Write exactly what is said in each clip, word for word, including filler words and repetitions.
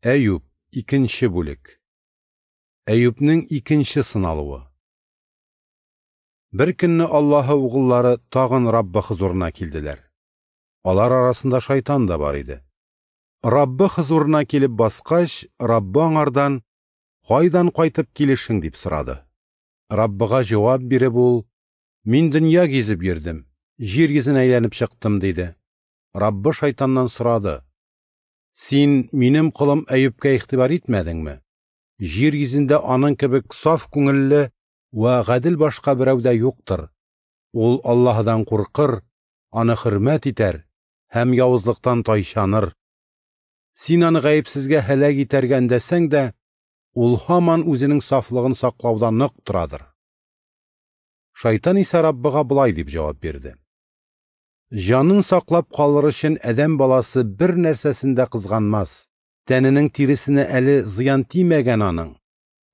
Әюп, икенче бүлек. Әюпнең икенче сыналуы. Бер көнне Аллаһы угыллары тагын Раббы хозурына килделәр. Алар арасында шайтан да бар иде. Раббы хозурына килеп баскач, Раббы аңардан: «Кайдан кайтып килешең?» – дип сорады. Раббыга җавап биреп ул: «Мин дөнья гизеп йөрдем, җир йөзен әйләнеп чыктым», – диде. Раббы шайтаннан сорады: «Син минем колым Әюпкә игътибар итмәдеңме? Җир йөзендә аның кебек саф күңелле вә гадел башка берәү дә юктыр. Ул Аллаһыдан куркыр, аны хөрмәт итәр һәм явызлыктан тайчаныр. Син аны гаепсезгә һәлак итәргә өндәсәң дә, ул һаман үзенең сафлыгын саклауда нык торадыр». Шайтан исә Раббыга болай дип җавап бирде: «Җанын саклап калыр өчен адәм баласы бер нәрсәсен дә кызганмас. Тәненең тиресенә әле зыян тимәгән аның.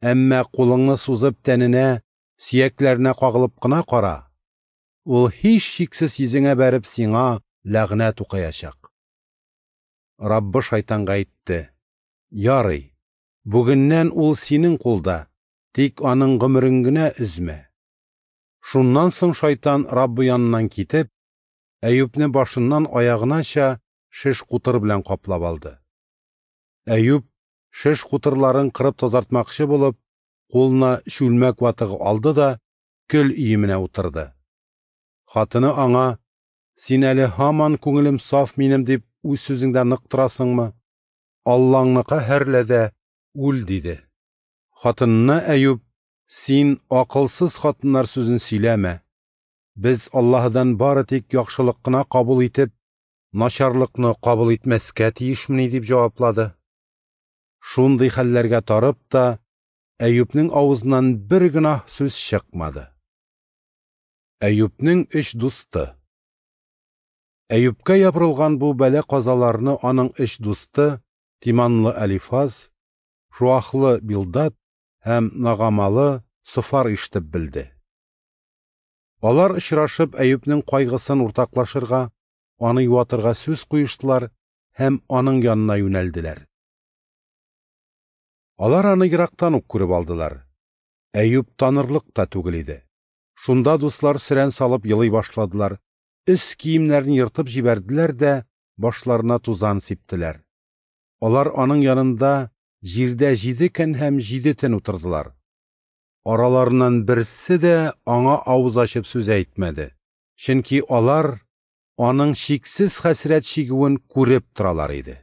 Әмма кулыңны сузып тәненә, сөякләренә кагылып кына кара. Ул һичшиксез йөзеңә бәреп сиңа ләгънәт укыячак». Раббы шайтанга әйтте: «Ярый, бүгеннән ул синең кулда, тик аның гомерен генә өзмә». Шуннан соң шайтан Раббы яныннан китеп, Әюпне башыннан аягынача шеш кутыр белән каплап алды. Әюп шеш кутырларын кырып тазартмакчы булып, кулына чүлмәк ватыгы алды да көл өеменә утырды. Хатыны аңа: «Син әле һаман күңелем саф минем дип үз сүзеңдә нык торасыңмы? Аллаңны каһәрлә дә үл», – диде. Хатынына Әюп: «Син акылсыз хатыннар сүзен сөйләмә. Без Аллаһыдан бары тик яхшылык кына кабул итеп, начарлыкны кабул итмәскә тиешмени?» – дип җаваплады. Шундый хәлләргә тарып та, Әюпнең авызыннан бер гөнаһ сүз чыкмады. Әюпнең өч дусты. Әюпкә ябырылган бу бәла-казаларны аның өч дусты Тиманлы Әлифаз, Шуахлы Билдад һәм Нагамалы Софар ишетеп белде. Алар очрашып Әюпнең кайгысын уртаклашырга, аны юатырга сүз куештылар һәм аның янына юнәлделәр. Алар аны ерактан ук күреп алдылар. Әюп танырлык та түгел иде. Шунда дуслар сөрән салып елый башладылар, өс киемнәрен ертып җибәрделәр дә башларына тузан сиптеләр. Алар аның янында җирдә җиде көн һәм җиде төн утырдылар. Араларыннан берсе дә аңа авыз ачып сүз әйтмәде, чөнки алар аның чиксез хәсрәт чигүен күреп торалар иде.